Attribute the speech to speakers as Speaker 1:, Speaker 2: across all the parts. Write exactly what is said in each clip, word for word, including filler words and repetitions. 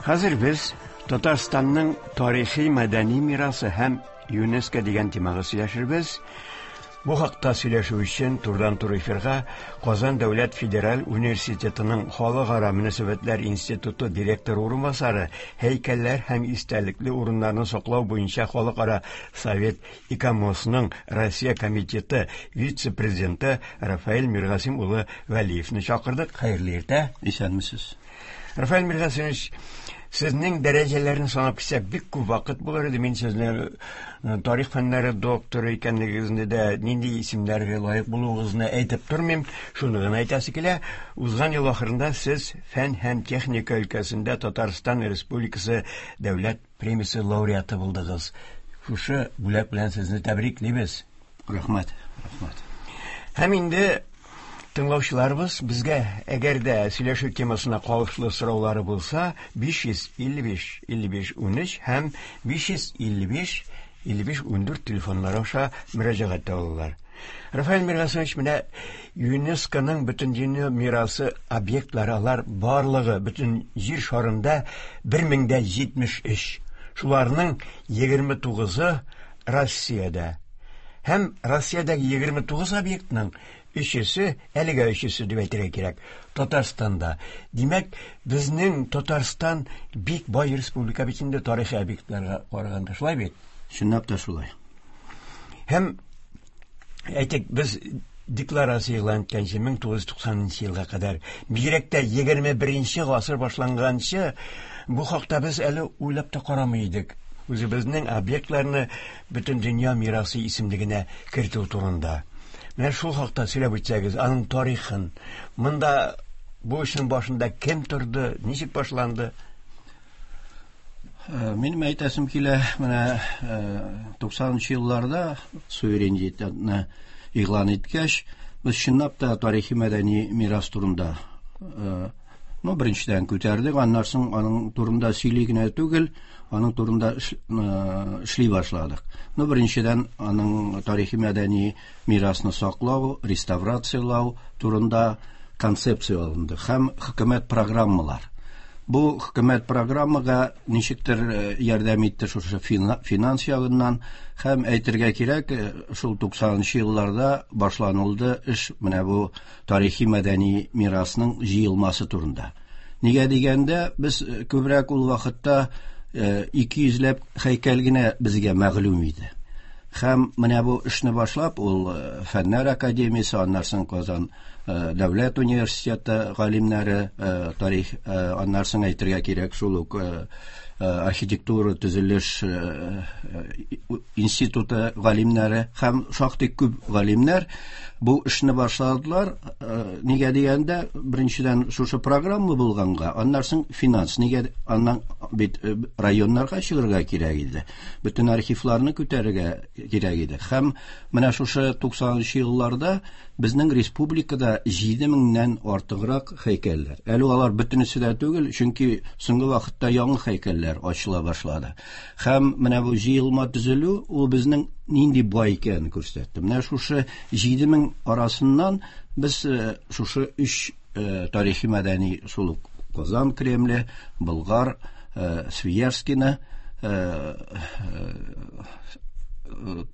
Speaker 1: Хәзер без Татарстанның тарихи мәдәни мирасы һәм ЮНЕСКО дигән темага сөйләшербез. Бу хакта сөйләшү өчен турыдан-туры эфирга Казан дәүләт федераль университетының Халыкара мөнәсәбәтләр институты директоры урынбасары, һәйкәлләр һәм истәлекле урыннарны саклау буенча халыкара совет ИКОМОСның Россия комитеты вице-президенты Рафаэль Миргасим улы Вәлиевне чакырдык. Хәерле иртә.
Speaker 2: Исәнмесез.
Speaker 1: Рафаэль Миргасимович, сезнең дәрәҗәләрне санап китсәк, бик күп вакыт булыр иде. Мин сезне тарих фәннәре докторы икәнлегегезне дә, нинди исемнәргә лаек булуыгызны әйтеп тормыйм. Шуны гына әйтәсе килә. Узган ел ахырында сез фән һәм техника өлкәсендә Татарстан Республикасы дәүләт премиясе лауреаты булдыгыз. Шушы бүләк белән сезне тәбриклибез.
Speaker 2: Рәхмәт, рәхмәт.
Speaker 1: Һәм инде тыңлаучыларыбыз безгә, әгәр дә сөйләшү темасына кагылышлы сораулары булса, биш йөз илле биш илле биш унөч һәм биш йөз илле биш илле биш ундүрт телефоннары аша мөрәҗәгать итә алалар. Рафаэль Миргасимович, менә ЮНЕСКОның бөтен дөнья мирасы объектлары, алар барлыгы бөтен җир шарында бер мең дә җитмеш өч. Шуларның егерме тугызы Россиядә. Һәм Россиядәге егерме тугыз объектның өчесе, әлегә өчесе дип әйтергә кирәк, Татарстанда. Димәк, безнең Татарстан бик бай республика бит инде тарихи объектларга караганда, шулай бит?
Speaker 2: Чынлап та шулай.
Speaker 1: Һәм әйтик, без декларация игълан иткәнче мең тугыз йөз туксанынчы елга кадәр, бигрәк тә егерме беренче гасыр башланганчы, бу хакта без әле уйлап та карамый идек. Үзебезнең объектларны бөтен дөнья мирасы исемлегенә кертү турында. Менә шул хакта сөйләп үтсәгез, аның тарихын, монда бу эшнең башында кем торды, ничек башланды?
Speaker 2: Э, минем әйтәсем килә, менә, э, туксанынчы елларда суверенитетны игълан иткәч, без чынлап та тарихи мәдәни мирас турында, э, ну, беренчедән күтәрдек, аннан соң аның турында сөйли генә түгел, аның турында эш-, э, эшли башладык. Ну, беренчедән аның тарихи мәдәни мирасны саклау, реставрациялау турында концепция алынды һәм хөкүмәт программалар. Бу хөкүмәт программага ничектер, э, ярдәм итте шушы фина-, финанс ягыннан, һәм әйтергә кирәк, э, шул туксанынчы елларда башланылды эш менә бу тарихи мәдәни мирасның җыелмасы турында. Нигә дигәндә, без, э, күбрәк ул вакытта, э, ике йөзләп һәйкәл генә безгә мәгълүм иде. Һәм менә бу эшне башлап, ул, э, Фәннәр академиясе, аннан соң Казан, э, дәүләт университеты галимнәре, э, тарих, э, аннан соң әйтергә кирәк, шул ук, э, э, архитектура төзелеш, э, э, институты галимнәре һәм шактый күп галимнәр бу эшне башладылар. Э, нигә дигәндә, беренчедән шушы программа булганга, аннан соң финанс, нигә аннан бит, э, районнарга чыгарга кирәк иде. Бөтен архивларны күтәрергә кирәк иде. Һәм менә шушы туксанынчы елларда безнең республикада җиде меңнән артыграк һәйкәлләр. Әле алар бөтенесе дә түгел, чөнки соңгы вакытта яңа һәйкәлләр ачыла башлады. Һәм менә бу җыелма төзелү ул безнең нинди бай икәнен күрсәтте. Менә шушы җиде мең арасыннан без, э, шушы өч, э, тарихи мәдәни шул ук Казан Кремле, Болгар, э, Свияжскийны, э, э, э,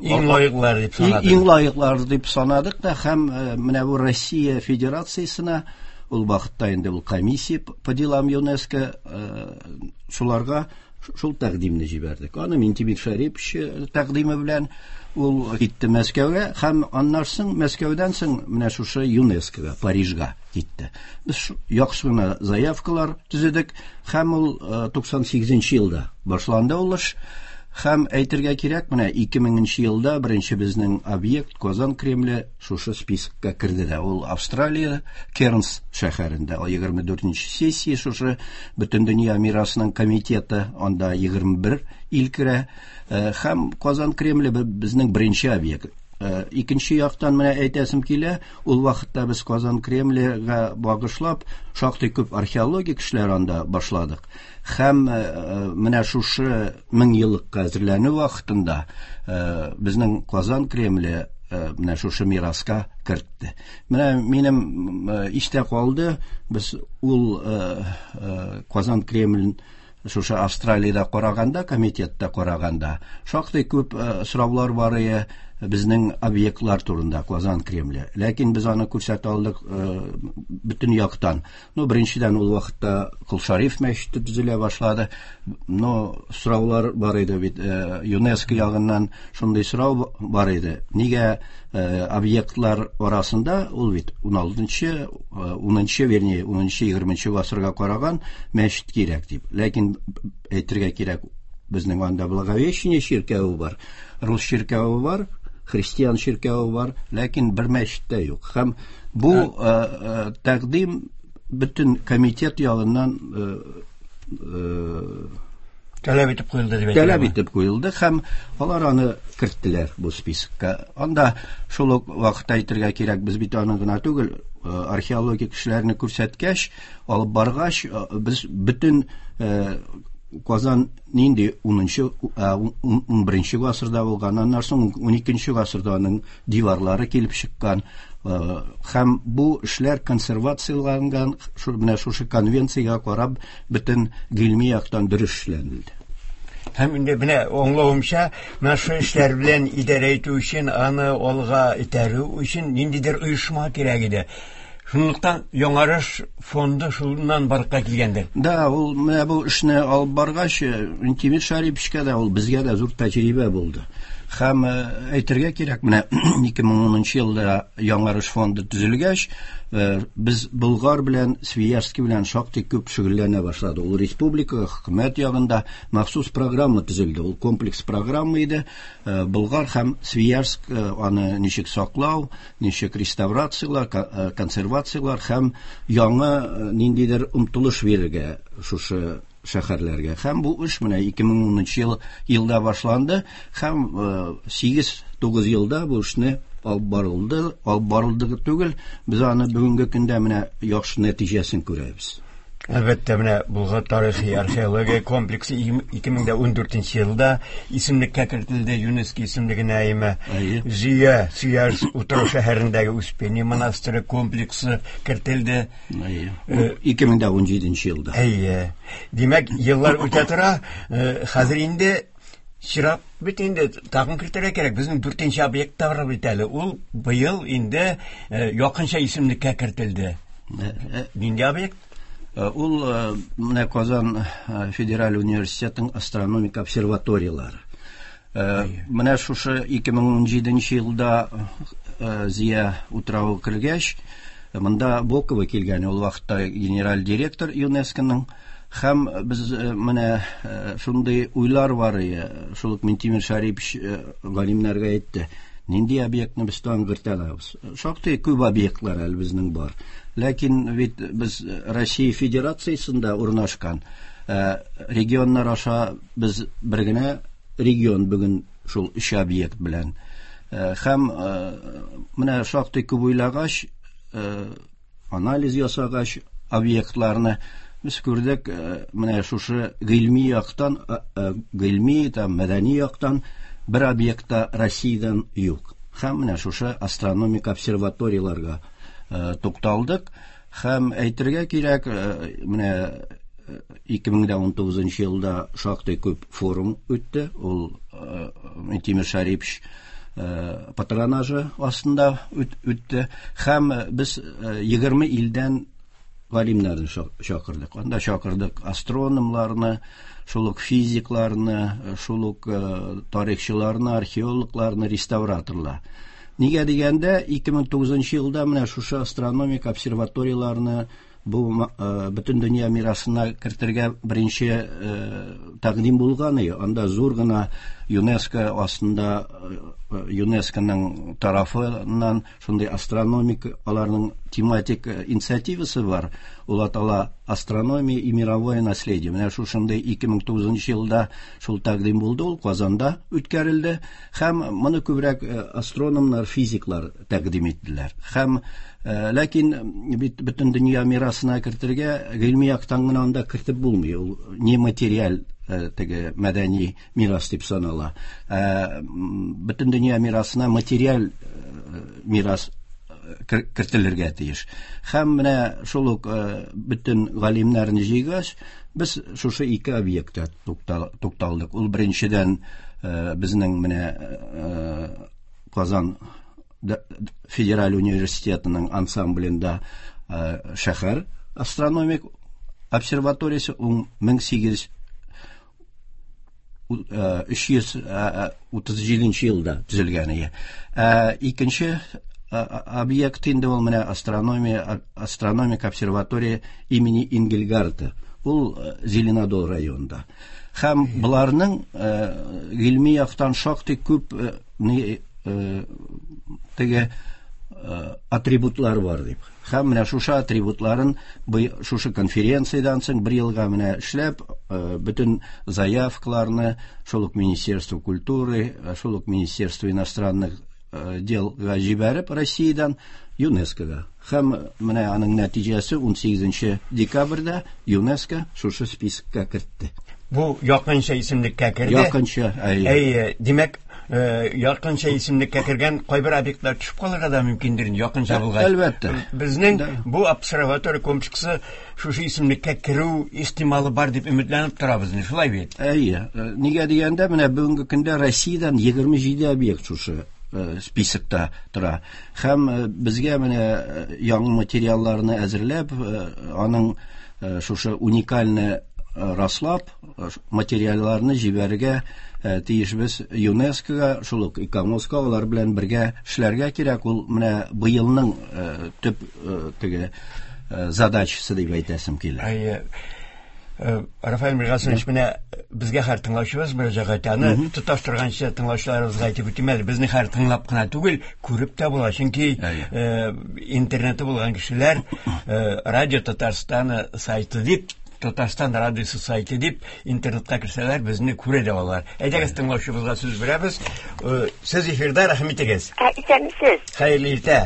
Speaker 1: Иң лаеклары дип санадык.
Speaker 2: Иң лаеклары дип санадык та, һәм, э, менә бу Россия Федерациясенә ул вакытта инде ул комиссия по делам ЮНЕСКО, э, шуларга шул тәкъдимне җибәрдек. Аны Минтимер Шәрипович, э, тәкъдиме белән ул китте Мәскәүгә, һәм аннан соң Мәскәүдән соң менә шушы ЮНЕСКОга, Парижга китте. Без шу-, яхшы гына заявкалар төзедек, һәм ул, э, туксан сигезенче елда башланды ул эш. Һәм әйтергә кирәк, менә ике меңенче елда беренче безнең объект Казан Кремле шушы списокка керде дә. Ул Австралия Кернс шәһәрендә, ул егерме дүртенче сессия шушы Бөтендөнья мирасының комитеты, анда егерме бер ил керә. Э, һәм Казан Кремле бе-, безнең беренче объект. Э, икенче яктан менә әйтәсем килә, ул вакытта без Казан Кремлегә багышлап шактый күп археологик эшләр анда башладык. Һәм, э, э, менә шушы мең еллыкка әзерләнү вакытында, э, безнең Казан Кремле, менә шушы мираска кертте. Менә минем истә калды, без ул Казан Кремлен шушы Австралиядә караганда, комитетта караганда, шактый күп сораулар бар иде безнең объектлар турында Казан Кремле. Ләкин без аны күрсәтә алдык бөтен яктан. Ну, беренчедән ул вакытта Кол Шариф мәчете төзелә башлады. Но сораулар бар иде бит, ЮНЕСКО ягыннан шундый сорау бар иде. Нигә объектлар арасында ул бит ун алтынчы, унынчы, вернее, унынчы, егерменче гасырга караган мәчет кирәк дип. Ләкин әйтергә кирәк, безнең анда Благовещение чиркәве бар, рус чиркәве бар, христиан чиркәве бар, ләкин бер мәчет тә юк. Һәм бу тәкъдим бөтен комитет ягыннан
Speaker 1: таләп итеп куелды дип әйтелә.
Speaker 2: Таләп итеп куелды һәм алар аны керттеләр бу списокка. Анда шул ук вакытта әйтергә кирәк, без бит аны гына түгел, археологик эшләрне күрсәткәч, алып баргач, без бөтен Казан нинди унынчы, ун беренче гасырда булган, аннан соң ун икенче гасырда аның диварлары килеп чыккан. Һәм бу эшләр консервацияләнгән, шул менә шушы конвенциягә карап бөтен гыйльми яктан дөрес эшләнелде.
Speaker 1: Һәм инде менә аңлавымча, менә шу эшләр белән идарә итү өчен, аны алга этәрү өчен ниндидер оешма кирәк иде. Шунлыктан Яңарыш фонды шуннан барлыкка килгәндер.
Speaker 2: Да, ул менә бу эшне алып баргач, Минтимер Шәриповичка да, ул безгә дә зур тәҗрибә булды. Һәм әйтергә кирәк, менә ике мең унынчы елда Яңарыш фонды төзелгәч, без Болгар белән Свияжский белән шактый күп шөгыльләнә башладык. Ул республика хөкүмәт ягында махсус программа төзелде. Ул комплекс программа иде. Болгар һәм Свияжск аны ничек саклау, ничек реставрациялар, консервациялар һәм яңа ниндидер омтылыш бирергә шушы шәһәрләргә. Һәм бу эш менә ике мең унынчы ел, елда башланды һәм сигез-тугыз елда бу эшне алып барылды, алып барылды түгел, без аны бүгенге көндә менә яхшы нәтиҗәсен күрәбез.
Speaker 1: Әлбәттә, менә Болгар тарихи археология комплексы ике мең ун дүртенче елда исемлеккә кертелде, ЮНЕСКО исемлегенә әйме. Зөя, Свияжск утрау шәһәрендәге Успение монастыре комплексы кертелде.
Speaker 2: Ике мең ун җиденче елда.
Speaker 1: Әйе. Димәк, еллар үтә тора, хәзер инде чират бит инде тагын кертергә кирәк. Безнең дүртенче объект та бар бит әле. Ул быел инде якынча исемлеккә кертелде. Нинди объект?
Speaker 2: Ул менә Казан федераль университетының астрономик обсерваториялары. Менә шушы ике мең ун җиденче елда Зия утравы кергәч, монда Бокова килгән, ул вакытта генераль директор ЮНЕСКОның. Һәм без менә шундый уйлар бар иде, шул ук Минтимер Шәрипович галимнәргә әйтте. Нинди объектны без тагын кертә алабыз? Шактый күп объектлар әле безнең бар. Ләкин бит без Россия Федерациясендә урнашкан регионнар аша без бер генә регион бүген шул өч объект белән. Һәм менә шактый күп уйлагач, анализ ясагач объектларны без күрдек, менә шушы гыйльми яктан, гыйльми там мәдәни яктан бер объектта Россиядән юк. Һәм менә шушы астрономик обсерваторияларга тукталдык. Һәм әйтергә кирәк, менә ике мең ун тугызынчы елда шактый күп форум үтте. Ул Минтимер Шәрипович патронажы астында үтте. Һәм без егерме илдән галимнәрне чакырдык. Анда чакырдык астрономларны, шул ук физикларны, шул ук тарихчыларны, археологларны, реставраторлар. Нигә дигәндә, ике мең тугызынчы елда менә шушы астрономик обсерваторияларны бу бөтен дөнья мирасына кертергә беренче тәкъдим булган иде. Анда зур гына ЮНЕСКО астында, ЮНЕСКОның тарафыннан шундый астрономик аларның тематик инициативасы бар. Ул атала астрономия и мировое наследие. Менә шушындый ике мең тугызынчы елда шул тәкъдим булды, ул Казанда үткәрелде. Һәм моны күбрәк астрономнар, физиклар тәкъдим иттеләр. Һәм ләкин бит бөтен дөнья мирасына кертергә гыйльми яктан гына анда кертеп булмый. Ул нематериаль теге мәдәни мирас дип санала. Бөтен дөнья мирасына материаль мирас кертелергә тиеш. Һәм менә шул ук бөтен галимнәрне җыйгач, без шушы ике объектта тукталдык. Ул беренчедән безнең менә Казан Федераль университетының ансамблендә шәһәр астрономик обсерваториясе мең сигез өч йөз утыз җиденче елда төзелгән иде. Икенче объект инде ул менә астрономия астрономик обсерватория имени Ингельгарта. Ул Зеленодол районында. Һәм буларның гыйльми яктан шактый күп теге атрибутлар бар дип. Һәм менә шушы атрибутларын шушы конференциядән соң бер елга менә эшләп, бөтен заявкаларны шул ук Министерство культуры, шул ук Министерство иностранных делга җибәреп Россиядән ЮНЕСКОга. Һәм менә аның нәтиҗәсе ун сигезенче декабрьдә ЮНЕСКО шушы списокка кертте.
Speaker 1: Бу якынча исемлеккә керде.
Speaker 2: Якынча, әйе.
Speaker 1: Әйе, димәк, якынча исемлеккә кергән кайбер объектлар төшеп калырга да мөмкиндер, якынча булгач.
Speaker 2: Әлбәттә.
Speaker 1: Безнең бу обсерватория комплексы шушы исемлеккә керү ихтималы бар дип өметләнеп торабыз, шулай бит?
Speaker 2: Әйе. Нигә дигәндә, менә бүгенге көндә Россиядән егерме җиде объект шушы списокта тора. Һәм безгә менә яңа материалларны әзерләп, аның шушы уникальны раслап, материалларны җибәрергә тиешбез ЮНЕСКОга, шул ук ИКОМОСка, алар белән бергә эшләргә кирәк. Ул менә быелның төп теге задачасы дип әйтәсем килә.
Speaker 1: Әйе. Рафаэль Миргасымович, менә безгә һәр тыңлаучыбыз мөрәҗәгать аны тоташтырганчы тыңлаучыларыбызга әйтеп үтим әле, безне һәр тыңлап кына түгел, күреп тә була. Чөнки интернеты булган кешеләр Радио Татарстаны сайты дип, Татарстан радиосы сайты дип интернетка керсәләр, безне күрә дә алалар. Әйдәгез, тыңлаучыбызга сүз бирәбез. Сез эфирда, рәхим итегез.
Speaker 3: Исәнмесез.
Speaker 1: Хәерле иртә.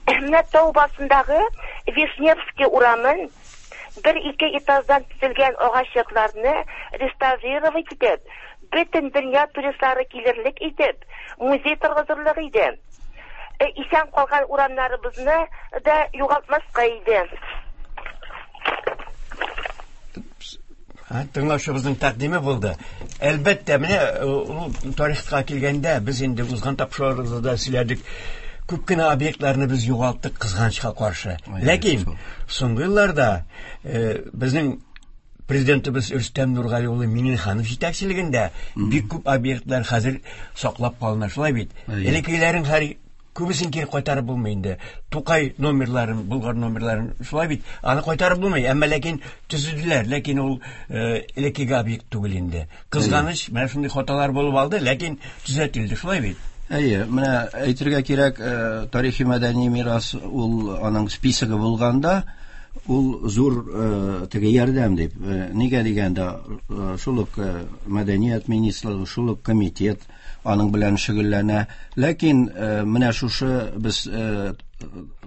Speaker 3: Менә тау башындагы Вишневский урамын бер ике этаждан төзелгән агач йортларны реставрировать итеп, бөтен дөнья туристлары килерлек итеп, музей торгызырлык иде. Исән калган урамнарыбызны да югалтмаска иде.
Speaker 1: Тыңлаучыбызның тәкъдиме булды. Әлбәттә, менә ул тарихка килгәндә, без инде узган тапшыруларыбызда сөйләдек. Күп кенә объектларны без югалттык кызганычка каршы. Ләкин соңгы елларда безнең президентыбыз Рөстәм Нургали улы Миңнеханов җитәкчелегендә бик күп объектлар хәзер саклап калына, шулай бит. Элеккеләрен һәр күбесен кире кайтарып булмый инде. Тукай номерларын, Болгар номерларын, шулай бит, аны кайтарып булмый, әмма ләкин төзеделәр, ләкин ул элеккеге объект түгел инде. Кызганыч, менә шундый хаталар булып алды, ләкин төзәтелде, шулай бит.
Speaker 2: Әйе, менә әйтергә кирәк, тарихи мәдәни мирас ул аның списогы булганда, ул зур теге ярдәм дип. Нигә дигәндә, шул ук мәдәният министрлыгы, шул ук комитет аның белән шөгыльләнә. Ләкин менә шушы без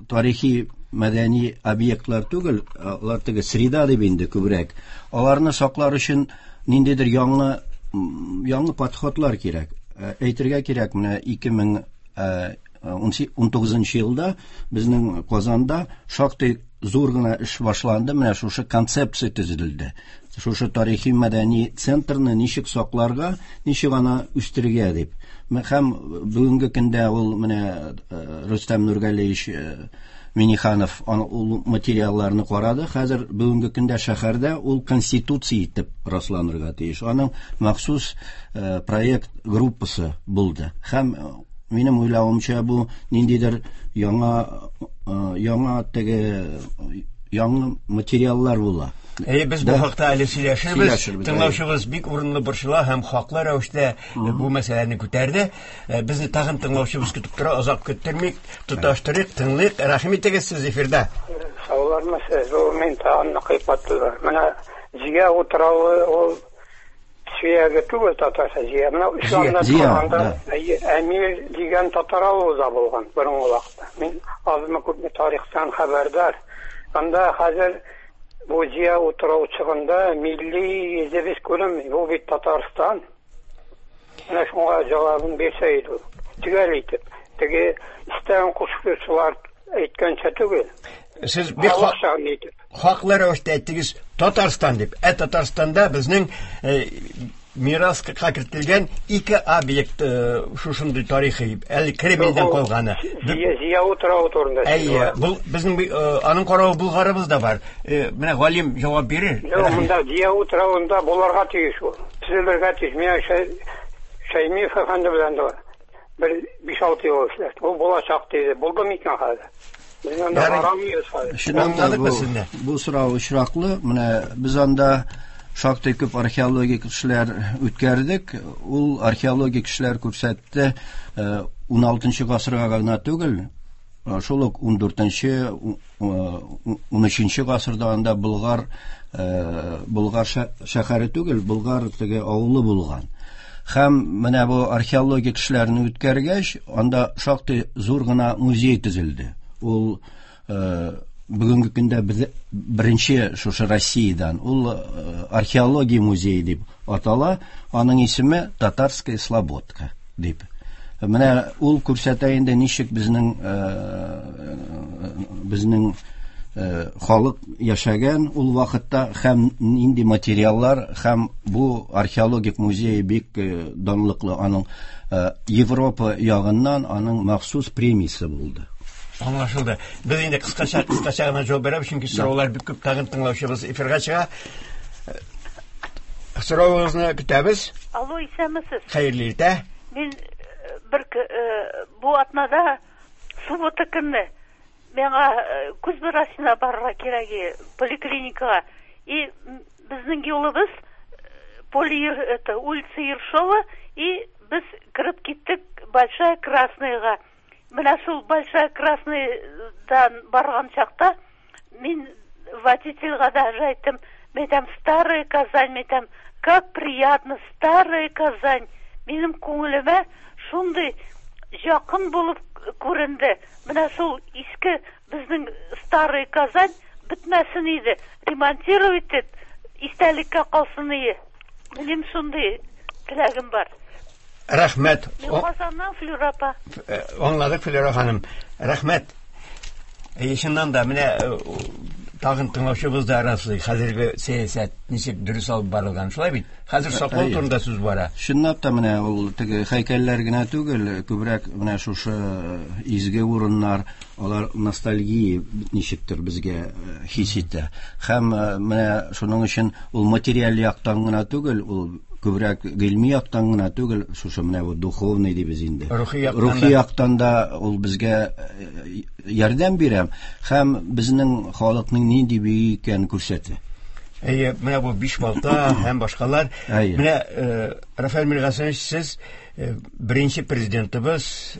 Speaker 2: тарихи мәдәни объектлар түгел, алар теге среда дип инде күбрәк. Аларны саклар өчен ниндидер яңа яңа подходлар кирәк. Әйтергә кирәк, менә ике мең ун тугызынчы елда безнең Казанда шактый зур гына эш башланды, менә шушы концепция төзелде. Шушы тарихи мәдәни центрны ничек сакларга, ничек аны үстерергә дип. Һәм бүгенге көндә ул менә Рөстәм Нургалиевич Миннеханов ул материалларны карады. Хәзер бүгенге көндә шәһәрдә ул конституция итеп расланырга тиеш. Аның махсус проект группасы булды. Һәм минем уйлавымча, бу ниндидер яңа яңа теге яңа материаллар була.
Speaker 1: Әй, без бу хакта әле сөйләшербез. Тыңлаучыбыз бик урынлы борчыла һәм хаклы рәвештә бу мәсьәләне күтәрде. Безне тагын тыңлаучыбыз көтеп тора, озак көттермик, тоташтырыйк, тыңлыйк. Рәхим итегез, сез эфирда.
Speaker 4: Саулармысыз? Бу мин тагын кыйпаттылар. Менә Зия утравы ул Сөяге түгел, татарча Зия. Менә исламда торганда Әмир дигән татар авылы да булган борынгы вакытта. Мин азмы күпме тарихтан хәбәрдар. Анда хәзер бу Зия утраучыгында милли йөзебез күренми. Бу бит Татарстан. Менә шуңа җавабын бирсә иде. Төгәл итеп. Теге истә Мәсәлән, кушучылар әйткәнчә түгел.
Speaker 1: Сез бик хаклы рәвештә әйттегез Татарстан дип. Ә Татарстанда безнең мираска кертелгән ике объект шушындый тарихи, әле Кремльдән калганы.
Speaker 4: Зия утравы турында.
Speaker 1: Әйе, бу безнең аның каравы Булгарыбыз да бар. Менә галим җавап бирер.
Speaker 4: Юк, монда Зия утравында буларга тиеш ул. Төзелергә тиеш. Менә Шәймиев әфәнде белән дә бер биш-алты ел эшләде. Ул булачак диде. Булды микән хәзер?
Speaker 2: Чыннан да бу сорау очраклы. Менә без анда шактый күп археологик эшләр үткәрдек. Ул археологик эшләр күрсәтте ун алтынчы гасырга гына түгел, шул ук ун дүртенче, ун өченче гасырда анда Болгар, Болгар шәһәре түгел, Болгар теге авылы булган. Һәм менә бу археологик эшләрне үткәргәч, анда шактый зур гына музей төзелде. Ул бүгенге көндә беренче шушы Россиядән, ул археология музее дип атала, аның исеме Татарская Слободка дип. Менә ул күрсәтә инде ничек безнең безнең халык яшәгән ул вакытта һәм нинди материаллар, һәм бу археологик музей бик данлыклы, аның Европа ягыннан аның махсус премиясе булды.
Speaker 1: Аңлашылды. Без инде кыскача кыскача гына җавап бирәбез, чөнки сораулар бик күп, тагын тыңлаучыбыз эфирга чыга. Соравыгызны көтәбез.
Speaker 5: Алло, исәнмесез.
Speaker 1: Хәерле иртә.
Speaker 5: Мин бер бу атнада суббота көнне миңа күз врачына барырга кирәк, поликлиникага. И безнең юлыбыз Поле, это улица Ершова, и без кереп киттек Большая Красныйга. Менә шул Большая Красныйдан барган чакта мин водительгә даже әйттем, мәйтәм, старая Казань, мәйтәм, как приятно, старая Казань. Минем күңелемә шундый якын булып күренде. Менә шул иске безнең старая Казань бетмәсен иде, ремонтировать итеп, истәлеккә калсын иде. Минем шундый теләгем бар.
Speaker 1: Рәхмәт.
Speaker 5: Мин Казаннан, Флюра апа.
Speaker 1: Аңладык, Флюра ханым. Рәхмәт. Чыннан да менә тагын тыңлаучыбыз да раслый, хәзерге сәясәт ничек дөрес алып барылган. Шулай бит? Хәзер саклау турында сүз бара.
Speaker 2: Чынлап та менә ул теге һәйкәлләр генә түгел, күбрәк менә шушы изге урыннар, алар ностальгия ничектер безгә хис итә. Һәм менә шуның өчен ул материаль яктан гына түгел, ул күбрәк гыйльми яктан гына түгел, шушы менә бу духовный дибез инде. Рухи яктан да ул безгә ярдәм бирә һәм безнең халыкның нинди бөек икәнен күрсәтә.
Speaker 1: Әйе, менә бу биш балта һәм башкалар. Менә Рафаэль Миргасанович, сез беренче президентыбыз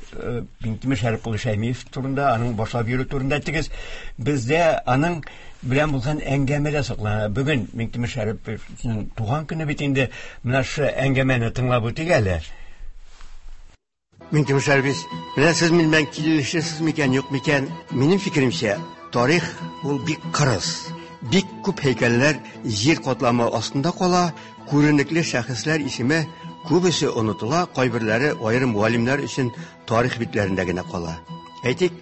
Speaker 1: Минтимер Шәрип улы Шәймиев турында, аның башлап йөрү турында әйттегез. Бездә аның белән булган әңгәмә дә саклана. Бүген Минтимер Шәриповның туган көне бит инде. Менә шу әңгәмәне тыңлап үтик әле.
Speaker 6: Минтимер Шәрипович, менә сез минем белән килешәсез микән, юк микән? Минем фикеремчә, тарих ул бик кырыс. Бик күп һәйкәлләр җир катламы астында кала, күренекле шәхесләр исеме күбесе онытыла, кайберләре аерым галимнәр өчен тарих битләрендә генә кала. Әйтик,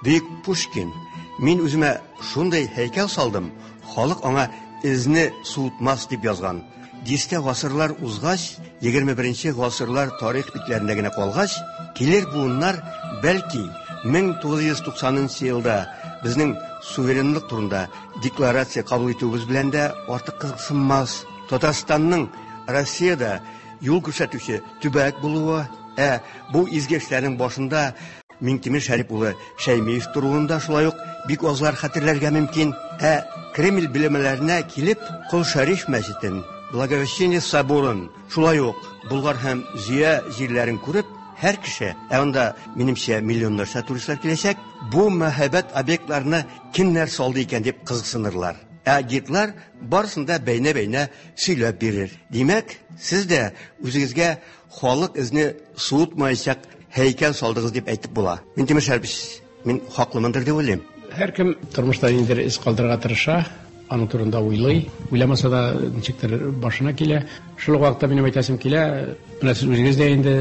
Speaker 6: бөек Пушкин, мин үземә шундый һәйкәл салдым, халык аңа эзне суытмас дип язган. Дистә гасырлар узгач, егерме беренче гасырлар тарих битләрендә генә калгач, килер буыннар бәлки мең тугыз йөз туксанынчы елда безнең суверенлык турында декларация кабул итүебез белән дә артык кызыксынмас. Татарстанның Россиядә юл күрсәтүче төбәк булуы, ә бу изге эшләрнең башында Минтимер Шәрип улы Шәймиев торуын да шулай ук бик азлар хәтерләргә мөмкин. Ә Кремль белемнәренә килеп, Кол Шәриф мәчетен, Благовещение соборын, шулай ук Болгар һәм Зөя җирләрен күреп, һәр кеше, ә анда минемчә миллионнарча туристлар киләчәк, бу мәһабәт объектларны кемнәр салды икән дип кызыксынырлар. Ә гидлар барысын да бәйнә-бәйнә сөйләп бирер. Димәк, сез дә үзегезгә халык эзне суытмаячак һәйкәл салдыгыз дип әйтеп була. Минтимер Шәрипович, мин хаклымындыр дип уйлыйм.
Speaker 7: Һәркем тормышта ниндидер эз калдырырга тырыша, аның турында уйлый, уйламаса да ничектер башына килә. Шул ук вакытта минем әйтәсем килә, менә сез үзегез дә инде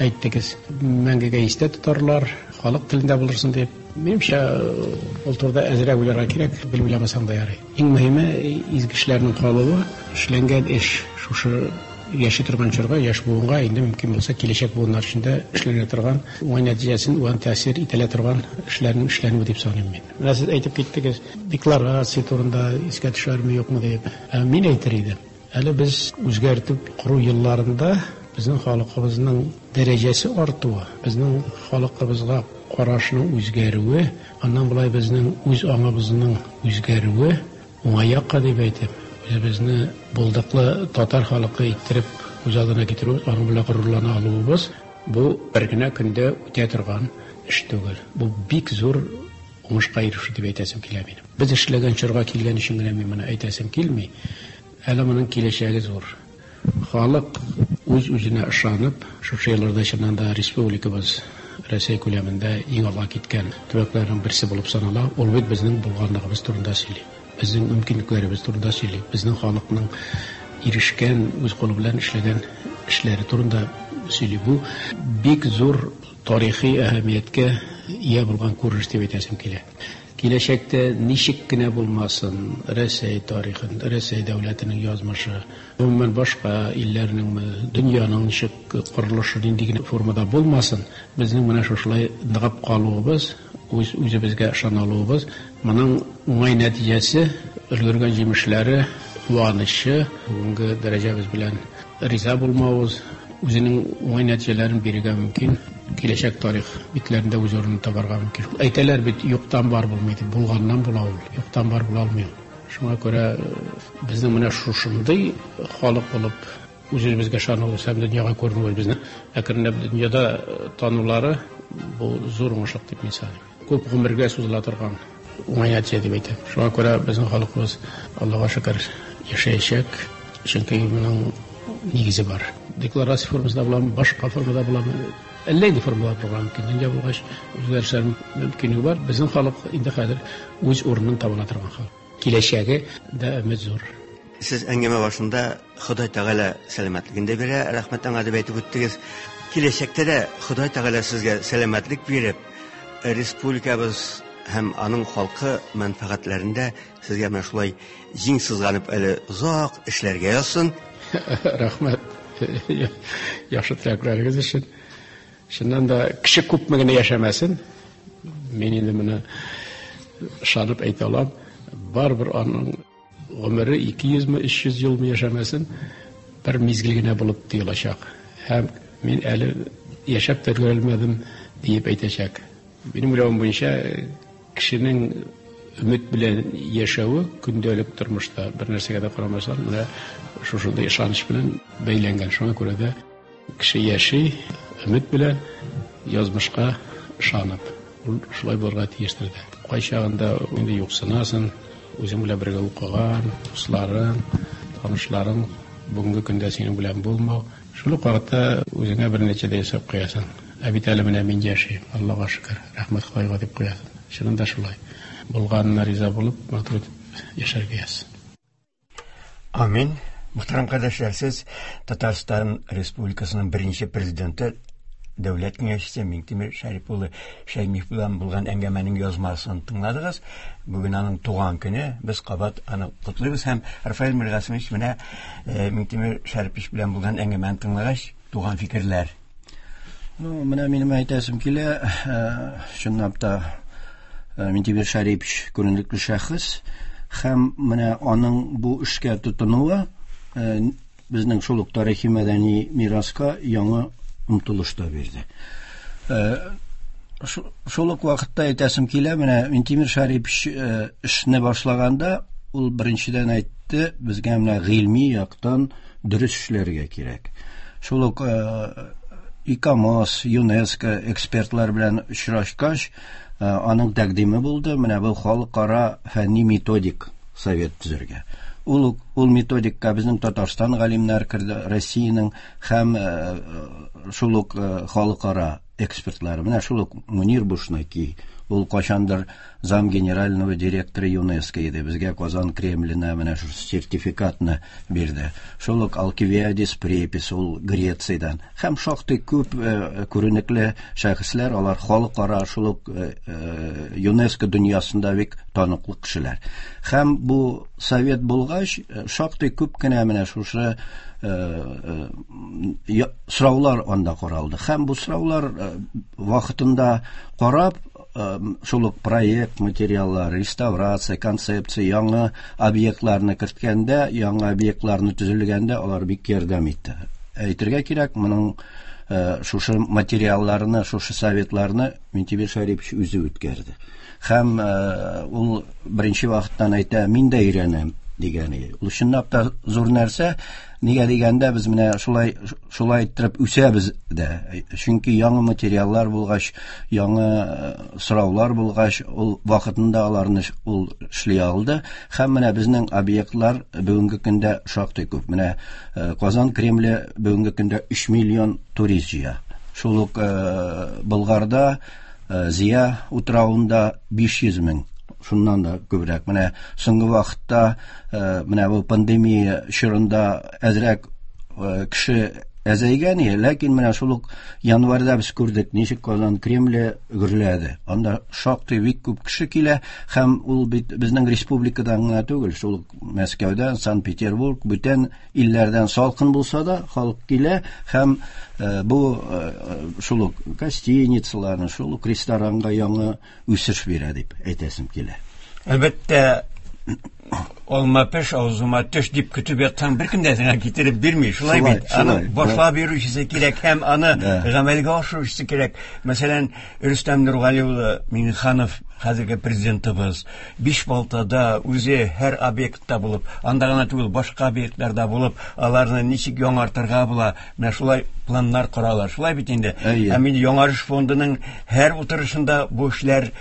Speaker 7: әйттегез, мәңгегә истә тотарлар, Халык телендә булырсын дип. Минемчә, ул турыда әзрәк уйларга кирәк, белеп уйламасаң да ярый. Иң мөһиме изге эшләрнең калуы, эшләнгән эш шушы яши торган чорга, яшь буынга инде мөмкин булса киләчәк буыннар өчен дә эшләнә торган, уңай нәтиҗәсен, уңай тәэсир ителә торган эшләрнең эшләнүе дип саныйм мин. Менә сез әйтеп киттегез, декларация турында искә төшәрме, юкмы дип. Ә мин әйтер идем. Әле без үзгәртеп кору елларында безнең халкыбызның дәрәҗәсе артуы, безнең халкыбызга карашның үзгәрүе, аннан болай безнең үз аңыбызның үзгәрүе уңай якка дип әйтеп, үзебезне булдыклы татар халкы иттереп үз алдына китерү, аның белән горурлана алуыбыз бу бер генә көндә үтә торган эш түгел. Бу бик зур уңышка ирешү дип әйтәсем килә минем. Без эшләгән чорга килгән өчен генә мин моны әйтәсем килми. Әле моның киләчәге зур. Халык үз-үзенә ышанып, шушы елларда чыннан да республикабыз Рәсәй күләмендә иң алга киткән төбәкләрнең берсе булып санала. Ул бит безнең булганлыгыбыз турында сөйли. Безнең мөмкинлекләребез турында сөйли. Безнең халыкның ирешкән, үз кулы белән эшләгән эшләре турында сөйли. Бу бик зур тарихи әһәмияткә ия булган күренеш дип әйтәсем килә. Киләчәктә ничек кенә булмасын, Рәсәй тарихын, Рәсәй дәүләтенең язмышы, гомумән башка илләрнең, дөньяның ничек корылышы нинди генә формада булмасын, безнең менә шушылай ныгып калуыбыз, үз үзебезгә ышана алуыбыз, моның уңай нәтиҗәсе, өлгергән җимешләре, куанычы, бүгенге дәрәҗәбез белән риза булмавыбыз, үзенең уңай нәтиҗәләрен бирергә мөмкин. Киләчәк тарих битләрендә үз урынын табарга мөмкин. Әйтәләр бит, юктан бар булмый дип, булганнан була ул, юктан бар була алмый. Шуңа күрә безнең менә шушындый халык булып үз-үзебезгә ышануыбыз һәм дөньяга күренүебез, безне әкренләп дөньяда танулары бу зур уңышлык дип мин саныйм. Күп гомергә сузыла торган уңай нәтиҗә дип әйтәм. Шуңа күрә безнең халкыбыз Аллага шөкер яшәячәк, чөнки моның нигезе бар. Декларация формасында буламы, башка формада буламы, әллә нинди формалар булырга мөмкин. Дөнья булгач, үзгәрешләр мөмкинлеге бар. Безнең халык инде хәзер үз урынын таба ала торган халык. Киләчәге дә өмет зур.
Speaker 6: Сез әңгәмә башында Ходай Тәгалә сәламәтлеген дә бирә, рәхмәт аңа дип әйтеп үттегез. Киләчәктә дә Ходай Тәгалә сезгә сәламәтлек биреп, республикабыз һәм аның халкы мәнфәгатьләрендә сезгә менә шулай җиң сызганып әле озак эшләргә язсын.
Speaker 7: Рәхмәт. Яхшы теләкләрегез өчен. Чыннан да кеше күпме генә яшәмәсен, мин инде моны ышанып әйтә алам, барыбер аның гомере ике йөзме, өч йөз елмы яшәмәсен, бер мизгел генә булып тоелачак. Һәм мин әле яшәп тә өлгерә диеп әйтәчәк. Минем уйлавым буенча, кешенең өмет белән яшәве көндәлек тормышта бер нәрсәгә дә карамастан, менә шушындый ышаныч белән бәйләнгән. Шуңа күрә дә кеше яши өмет белән, язмышка ышанып. Ул шулай булырга тиештер дә. Кайчагында инде юксынасың, үзең белән бергә укыган, дусларың, танышларың бүгенге көндә синең белән булмау. Шул ук вакытта үзеңә бер нәтиҗә дә ясап куясың. Ә бит әле менә мин яшим, Аллага шөкер, рәхмәт Ходайга дип куясың. Чынында шулай. Булганына риза булып, матур итеп яшәргә язсын.
Speaker 1: Амин. Мөхтәрәм кардәшләр, сез Татарстан Республикасының беренче президенты, Дәүләт Киңәшчесе Миңтимер Шәрип улы Шәймиев белән булган әңгәмәнең язмасын тыңладыгыз. Бүген аның туган көне, без кабат аны котлыйбыз һәм Рафаэль Миргасымович менә Миңтимер Шәрипович белән булган әңгәмәне тыңлагач, туган фикерләр.
Speaker 2: Ну, менә минем әйтәсем килә, чынлап та Миңтимер Шәрипович күренекле шәхес һәм менә аның бу эшкә тотынуы безнең шул ук тарихи мәдәни мираска яңа омтылыш та бирде. Шул ук вакытта әйтәсем килә, менә Миңтимер Шәрипович эшне башлаганда ул беренчедән әйтте, безгә менә гыйльми яктан дөрес эшләргә кирәк. Шул ук ИКОМОС, ЮНЕСКО экспертлар белән очрашкач, аның тәкъдиме булды, менә бу халыкара фәнни методик совет төзергә. Ул ул методикка безнең Татарстан галимнәр керде, Россиянең һәм шул ук халыкара экспертлары. Менә шул ук Мунир Бушнаки, Ул кайчандыр зам генерального директора ЮНЕСКО иде. Безгә Казан Кремленә менә шул сертификатны бирде. Шул ук Алкивиадис Препис, ул Грециядән. Һәм шактый күп күренекле шәхесләр, алар халыкара шул ук ЮНЕСКО дөньясында бик таныклы кешеләр. Һәм бу совет булгач, шактый күп кенә менә шушы сораулар анда каралды. Һәм бу сораулар вакытында карап, шул ук проект материаллары, реставрация, концепция, яңа объектларны керткәндә, яңа объектларны төзелгәндә алар бик ярдәм итте. Әйтергә кирәк, моның шушы материалларны, шушы советларны Минтимер Шәрипович үзе үткәрде. Һәм ул беренче вакыттан әйтә, мин дә өйрәнәм дигән иде. Ул чынлап та зур нәрсә. Нигә дигәндә, без менә шулай шулай иттереп үсәбез дә. Чөнки яңа материаллар булгач, яңа сораулар булгач, ул вакытында аларны ул эшли алды. Һәм менә безнең объектлар бүгенге көндә шактый күп. Менә Казан Кремле бүгенге көндә өч миллион турист җыя. Шул ук Болгарда, Зия утравында биш йөз мең. Шуннан да күбрәк. Менә соңгы вакытта, менә бу пандемия чорында әзрәк кеше әзәйгән иде, ләкин менә шул ук январьда без күрдек, ничек Казан Кремле гөрләде. Анда шактый бик күп кеше килә, һәм ул бит безнең республикадан гына түгел, шул ук Мәскәүдән, Санкт-Петербург, бүтән илләрдән салкын булса да халык килә, һәм бу шул ук гостиницаларны, шул ук ресторанга яңа үсеш бирә дип әйтәсем килә.
Speaker 1: Әлбәттә, алма пеш, авызыма төш дип көтеп ятсаң, беркем дә сиңа китереп бирми. Шулай бит. Аны башлап йөрүчесе кирәк һәм аны гамәлгә ашыручысы кирәк. Мәсәлән, Рөстәм Нургали улы Миңнеханов, хәзерге президентыбыз, Бишбалтада үзе һәр объектта булып, анда гына түгел, башка объектларда булып, аларны ничек яңартырга була, менә шулай планнар коралар. Шулай бит инде. Һәм инде Яңарыш фондының һәр утырышында бу эшләр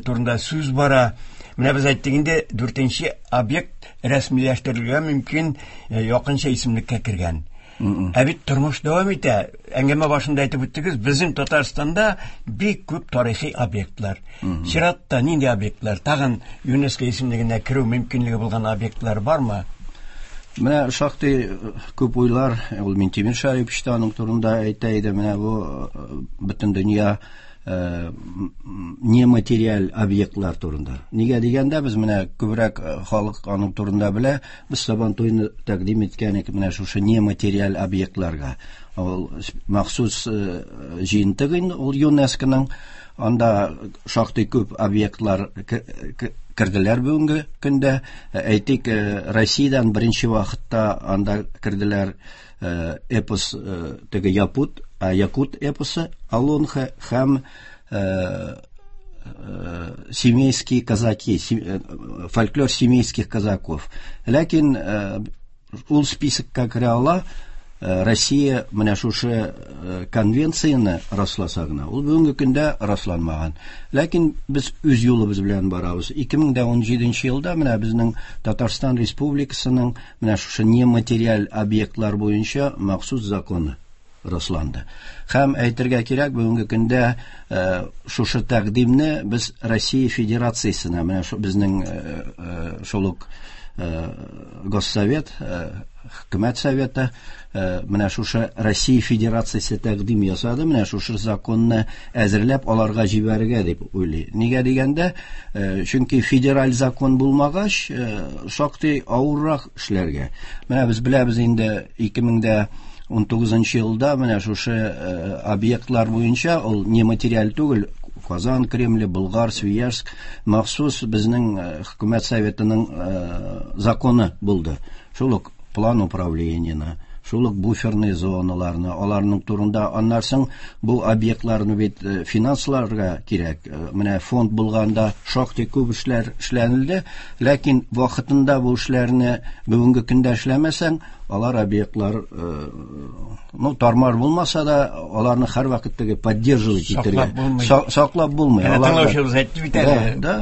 Speaker 1: турында сүз бара. Менә без әйттек инде, дүртенче объект рәсмиләштерелергә мөмкин, якынча исемлеккә кергән. Ә бит тормыш дәвам итә. Әңгәмә башында әйтеп үттегез, безнең Татарстанда бик күп тарихи объектлар. Чиратта нинди объектлар? Тагын ЮНЕСКО исемлегенә керү мөмкинлеге булган объектлар бармы?
Speaker 2: Менә шактый күп уйлар, ул Минтимер Шәрипович та аның турында әйтә иде. Менә бу бөтен дөнья нематериаль объектлар турында. Нигә дигәндә, без менә күбрәк халык аның турында белә, без Сабантуйны тәкъдим иткән идек менә шушы нематериаль объектларга. Ул махсус җыентык инде, ул ЮНЕСКОның, анда шактый күп объектлар керделәр бүгенге көндә. Әйтик, Россиядән беренче вакытта анда керделәр эпос, теге Якут, Якут эпосы, Алонха һәм семейские казаки, фольклор семейских казаков. Ләкин ул списокка керә ала Россия менә шушы конвенцияне расласа гына. Ул бүгенге көндә расланмаган. Ләкин без үз юлыбыз белән барабыз. ике мең дә ун җиденче елда менә безнең Татарстан Республикасының менә шушы нематериаль объектлар буенча махсус законы расланды. Һәм әйтергә кирәк, бүгенге көндә шушы тәкъдимне без Россия Федерациясенә, менә шу безнең шул ук Госсовет, Хөкүмәт Советы, менә шушы Россия Федерациясе тәкъдим ясады, менә шушы законны әзерләп аларга җибәрергә дип уйлый. Нигә дигәндә, чөнки федераль закон булмагач, шактый авыррак эшләргә. Менә без беләбез инде ике мең дә ун тугызынчы елда менә шушы объектлар буенча, ул нематериаль түгел, Казан Кремле, Болгар, Свияжск, махсус безнең Хөкүмәт Советының законы булды. Шул ук план управлениене, шул ук буферный зоналарны, аларның турында, аннан соң бу объектларны бит финансларга кирәк. Менә фонд булганда шактый күп эшләр эшләнелде, ләкин вакытында бу эшләрне бүгенге көндә эшләмәсәң, алар объектлар, ну, тармар булмаса да, аларны һәрвакыт теге поддерживать итәргә. Саклап булмый.
Speaker 1: Әнә тыңлаучыбыз әйтте бит әле. Да,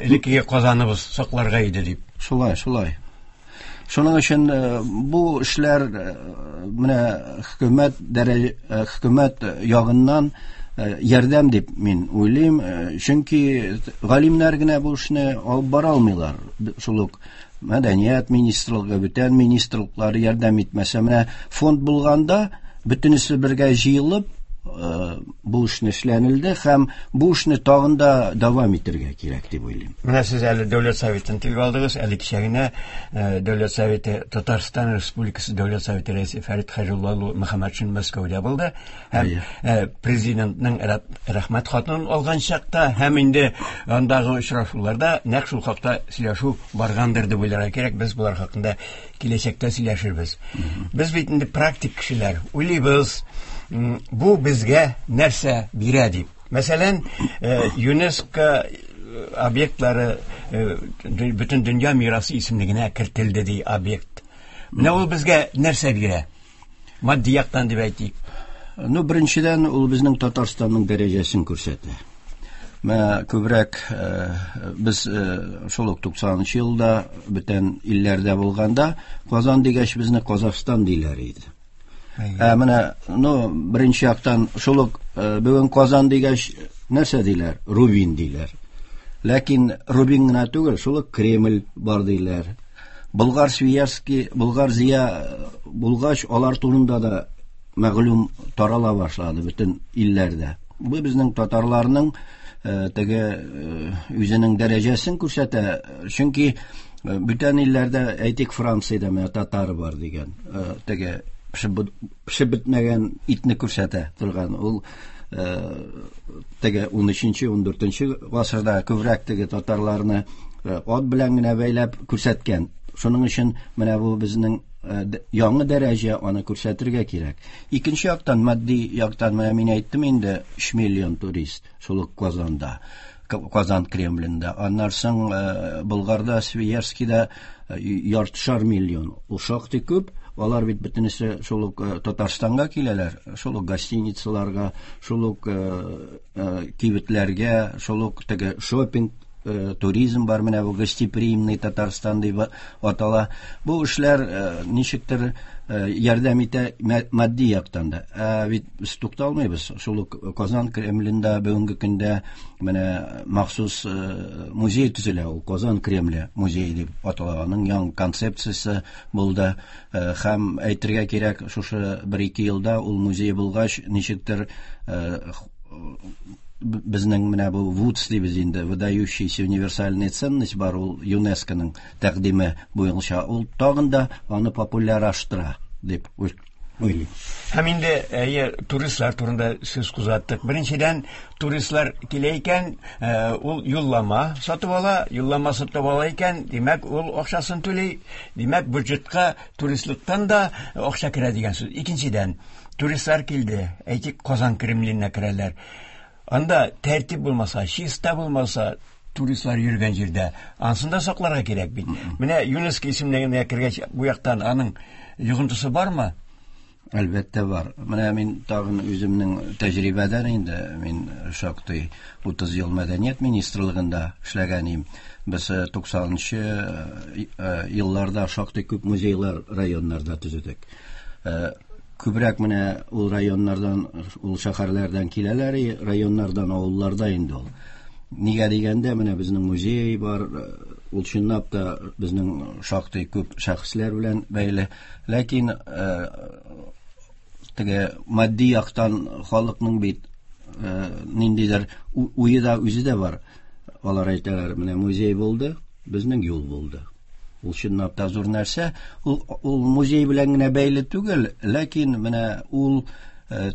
Speaker 1: элеккеге Казаныбыз сакларга иде дип.
Speaker 2: Шулай, шулай. Шуның өчен бу эшләр менә хөкүмәт дәрәҗә, хөкүмәт ягыннан ярдәм дип мин уйлыйм, чөнки галимнәр генә бу эшне алып бара алмыйлар. Шул ук мәдәният министрлыгы, бүтән министрлыклар ярдәм итмәсә, менә фонд булганда бөтенесе бергә җыелып бу эшне эшләнелде һәм бу эшне тагын да дәвам итәргә кирәк дип уйлыйм.
Speaker 1: Менә сез әле Дәүләт Советын телгә алдыгыз, әле кичә генә Дәүләт Советы Татарстан Республикасы Дәүләт Советы рәисе Фәрит Хәйрулла улы Мөхәммәтшин Мәскәүдә булды һәм президентның рәхмәт хатын алган чакта һәм инде андагы очрашуларда нәкъ шул хакта сөйләшү баргандыр дип уйларга кирәк. Без булар хакында киләчәктә сөйләшербез. Без бит инде практик кешеләр, уйлыйбыз, бу безгә нәрсә бирә дип. Мәсәлән, ЮНЕСКО объектлары бөтен дөнья мирасы исемлегенә кертелде ди объект. Менә ул безгә нәрсә бирә? Матди яктан дип әйтик.
Speaker 2: Ну, беренчедән, ул безнең Татарстанның дәрәҗәсен күрсәтә. Менә күбрәк без шул ук туксанынчы елда бүтән илләрдә булганда Казан дигәч безне Казахстан диләр иде. Ә менә, ну, беренче яктан шул ук бүген Казан дигәч нәрсә диләр? Рубин диләр. Ләкин Рубин гына түгел, шул ук Кремль бар диләр. Болгар Свияжский, Болгар Зия булгач, алар турында да мәгълүм тарала башлады бөтен илләрдә. Бу безнең татарларның теге үзенең дәрәҗәсен күрсәтә. Чөнки бүтән илләрдә, әйтик, Франциядә менә татар бар дигән, теге пешеп бетмәгән итне күрсәтә торган. Ул теге ун өченче, ун дүртенче гасырда күбрәк теге татарларны ат белән генә бәйләп күрсәткән. Шуның өчен менә бу безнең яңа дәрәҗә, аны күрсәтергә кирәк. Икенче яктан, матди яктан, менә мин әйттем инде, өч миллион турист шул ук Казанда, Казан Кремлендә. Аннан соң Болгарда, Свияжскида яртышар миллион. Ул шактый күп. Алар бит бөтенесе шул ук Татарстанга киләләр, шул ук гостиницаларга, шул ук кибетләргә, шул ук теге шопинг, туризм бар, менә бу гостеприимный Татарстан дип атала. Бу эшләр ничектер ярдәм итә матди яктан да. Ә бит без тукталмыйбыз. Шул ук Казан Кремлендә бүгенге көндә менә махсус музей төзелә, ул Казан Кремле музее дип атала. Аның яңа концепциясе булды. Һәм әйтергә кирәк, шушы бер-ике елда ул музей булгач, ничектер безнең менә бу ВУЦ дибез инде, выдающаяся универсальная ценность бар, ул ЮНЕСКОның тәкъдиме буенча, ул тагын да аны популярлаштыра дип уйлыйм.
Speaker 1: Һәм инде әйе, туристлар турында сүз кузгаттык. Беренчедән, туристлар килә икән, ул юллама сатып ала, юллама сатып ала икән, димәк, ул акчасын түли, димәк, бюджетка туристлыктан да акча керә дигән сүз. Икенчедән, туристлар килде, әйтик, Казан Кремленә керәләр. Анда тәртип булмаса, чиста булмаса, туристлар йөргән җирдә, анысын да сакларга кирәк бит. Менә ЮНЕСКО исемлегенә кергәч, бу яктан аның йогынтысы бармы?
Speaker 2: Әлбәттә бар. Менә мин тагын үземнең тәҗрибәдән инде, мин шактый утыз ел мәдәният министрлыгында эшләгән идем. Без туксанынчы елларда шактый күп музейлар районнарда төзедек. Күбрәк менә ул районнардан, ул шәһәрләрдән киләләр, районнардан, авылларда инде ул. Нигә дигәндә, менә безнең музей бар, ул чынлап та безнең шактый күп шәхесләр белән бәйле. Ләкин теге матди яктан халыкның бит ниндидер уе да, үзе дә бар. Алар әйтәләр, менә музей булды, безнең юл булды. Ул чынлап та зур нәрсә. Ул, ул музей белән генә бәйле түгел, ләкин менә ул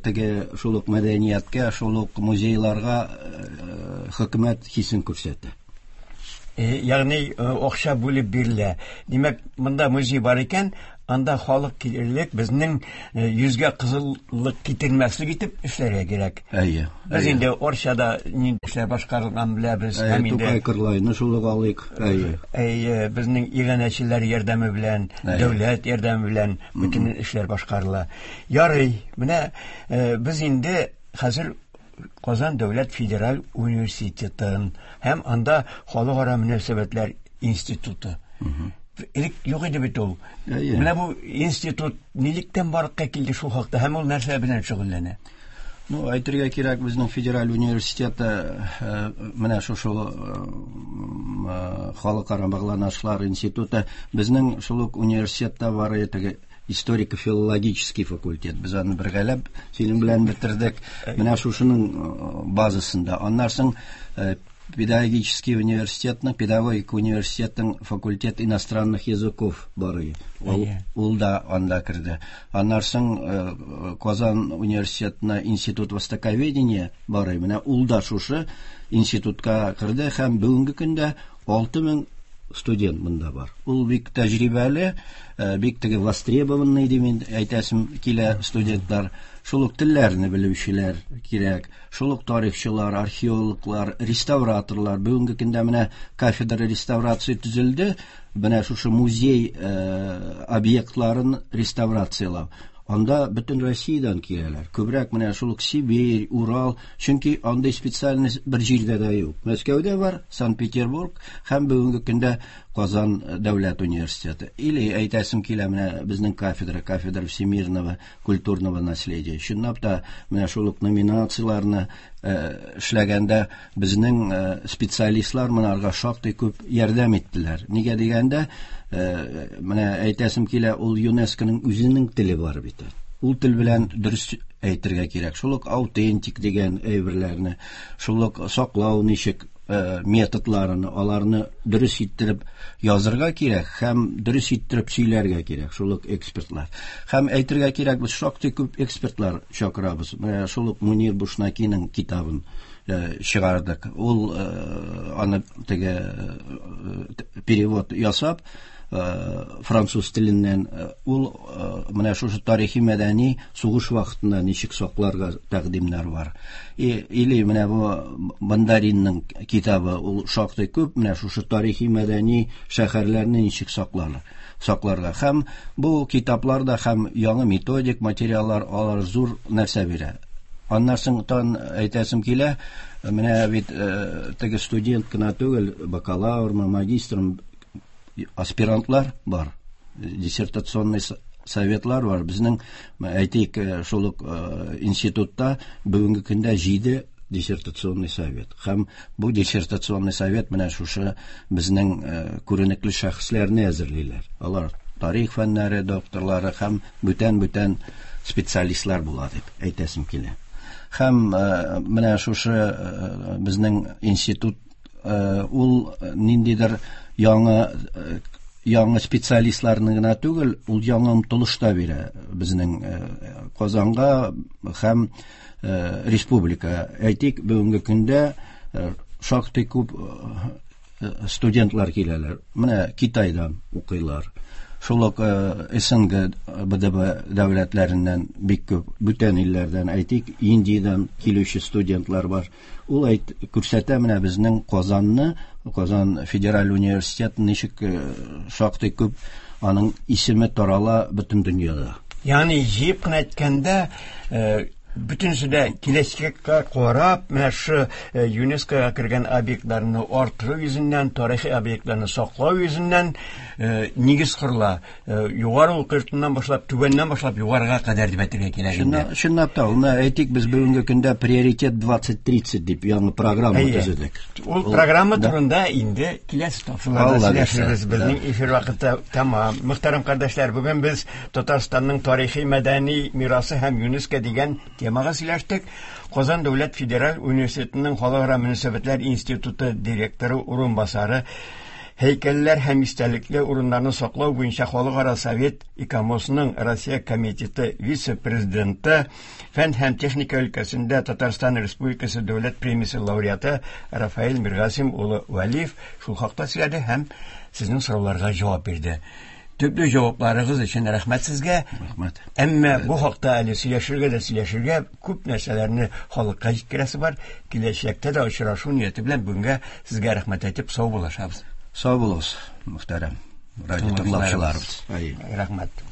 Speaker 2: теге шул ук мәдәнияткә, шул ук музейларга хөкүмәт хисен күрсәтә.
Speaker 1: Ягъни акча бүлеп бирелә. Димәк, монда музей бар икән, анда халык килерлек, безнең йөзгә кызыллык китермәслек итеп эшләргә кирәк.
Speaker 2: Әйе.
Speaker 1: Без инде Орчада нинди эшләр башкарылган беләбез. Һәм инде
Speaker 2: Тукай Кырлайны шул ук алыйк. Әйе.
Speaker 1: Әйе, безнең иганәчеләр ярдәме белән, дәүләт ярдәме белән бөтен эшләр башкарыла. Ярый, менә без инде хәзер Казан дәүләт федераль университетын һәм анда халыкара мөнәсәбәтләр институты. Элек юк иде бит ул. Менә бу институт нилектән барлыкка килде шул хакта һәм ул нәрсә белән шөгыльләнә?
Speaker 2: Ну, әйтергә кирәк, безнең федераль университетта менә шушы халыкара багланышлар институты, безнең шул ук университетта бар теге историко-филологический факультет. Без аны бергәләп синең белән бетердек. Менә шушының базасында. Аннан соң педагогический университетның, педагогика университетның факультет иностранных языков бар. Ул, ул да анда керде. Аннан соң Казан университетына институт востоковедения бар. Менә ул да шушы институтка керде һәм бүгенге көндә алты мең студент монда бар. Ул бик тәҗрибәле, бик теге востребованный дип әйтәсем килә студентлар. Шул ук телләрне белүчеләр кирәк, шул ук тарихчылар, археологлар, реставраторлар. Бүгенге көндә менә кафедра реставрация төзелде. Менә шушы музей объектларын реставрациялау. Анда бөтен Россиядән киләләр. Күбрәк менә шул ук Сибирь, Урал, чөнки андый специальность бер җирдә дә юк. Мәскәүдә бар, Санкт-Петербург һәм бүгенге көндә Казан дәүләт университеты. Или әйтәсем килә, менә безнең кафедра, кафедра всемирного культурного наследия. Чынлап та менә шул ук номинацияләрне эшләгәндә безнең специалистлар монарга шактый күп ярдәм иттеләр. Нигә дигәндә, менә әйтәсем килә, ул ЮНЕСКОның үзенең теле бар бит. Ул тел белән дөрес әйтергә кирәк. Шул ук аутентик дигән әйберләрне, шул ук саклау ничек методларын, аларны дөрес иттереп язырга кирәк һәм дөрес иттереп сөйләргә кирәк, шул ук экспертлар. Һәм әйтергә кирәк, без шактый күп экспертлар чакырабыз. Менә шул ук Мунир Бушнакиның китабын чыгардык. Ул аны теге перевод ясап француз теленнән, ул менә шушы тарихи мәдәни сугыш вакытында ничек сакларга тәкъдимнәр бар. Или менә бу Бондаринның китабы, ул шактый күп менә шушы тарихи мәдәни шәһәрләрне ничек сакларга, сакларга. Һәм бу китапларда һәм яңа методик материаллар, алар зур нәрсә бирә. Аннан соң тан әйтәсем килә, менә бит теге студент кына түгел, бакалаврмы, магистрмы, аспирантлар бар, диссертационный советлар бар. Безнең, әйтик, шул ук институтта бүгенге көндә җиде диссертационный совет. Һәм бу диссертационный совет менә шушы безнең күренекле шәхесләрне әзерлиләр. Алар тарих фәннәре докторлары һәм бүтән-бүтән специалистлар була дип әйтәсем килә. Һәм менә шушы безнең институт ул ниндидер яңа яңа специалистларны гына түгел, ул яңа омтылыш та бирә безнең Казанга һәм республика. Әйтик, бүгенге көндә шактый күп студентлар киләләр. Менә Китайдан укыйлар. Шул ук СНГ, Б Д Б дәүләтләреннән бик күп, бүтән илләрдән, әйтик, Индиядән килүче студентлар бар. Ул әйт күрсәтә менә безнең Казанны, Казан федераль университет ничек шактый күп аның исеме тарала бөтен дөньяда.
Speaker 1: Ягъни җыеп кына әйткәндә, бөтенесе дә киләчәккә карап, менә шу ЮНЕСКОга кергән объектларны арттыру йөзеннән, тарихи объектларны саклау йөзеннән нигез корыла. Югары уку йортыннан башлап, түбәннән башлап югарыга кадәр дип әйтергә кирәк инде.
Speaker 2: Чынлап та, менә әйтик, без бүгенге көндә приоритет двадцать тридцать дип яңа программа төзедек.
Speaker 1: Ул программа турында инде киләсе тапшыруларда сөйләшербез. Безнең эфир вакыты тәмам. Мөхтәрәм кардәшләр, бүген без Татарстанның тарихи мәдәни мирасы һәм ЮНЕСКО дигән темага сөйләштек. Казан дәүләт федераль университетының халыкара мөнәсәбәтләр институты директоры урынбасары, һәйкәлләр һәм истәлекле урыннарны саклау буенча халыкара совет ИКОМОСның Россия комитеты вице-президенты, фән һәм техника өлкәсендә Татарстан Республикасы дәүләт премиясе лауреаты Рафаэль Миргасим улы Вәлиев шул хакта сөйләде һәм сезнең сорауларга җавап бирде. Төпле җавапларыгыз өчен рәхмәт сезгә.
Speaker 2: Рәхмәт.
Speaker 1: Әмма бу хакта әле сөйләшергә дә сөйләшергә, күп нәрсәләрне халыкка җиткерәсе бар. Киләчәктә дә очрашу нияте белән бүгенгә сезгә рәхмәт әйтеп сау булашабыз.
Speaker 2: Сау булыгыз, мөхтәрәм радио тыңлаучыларыбыз.
Speaker 1: Рәхмәт.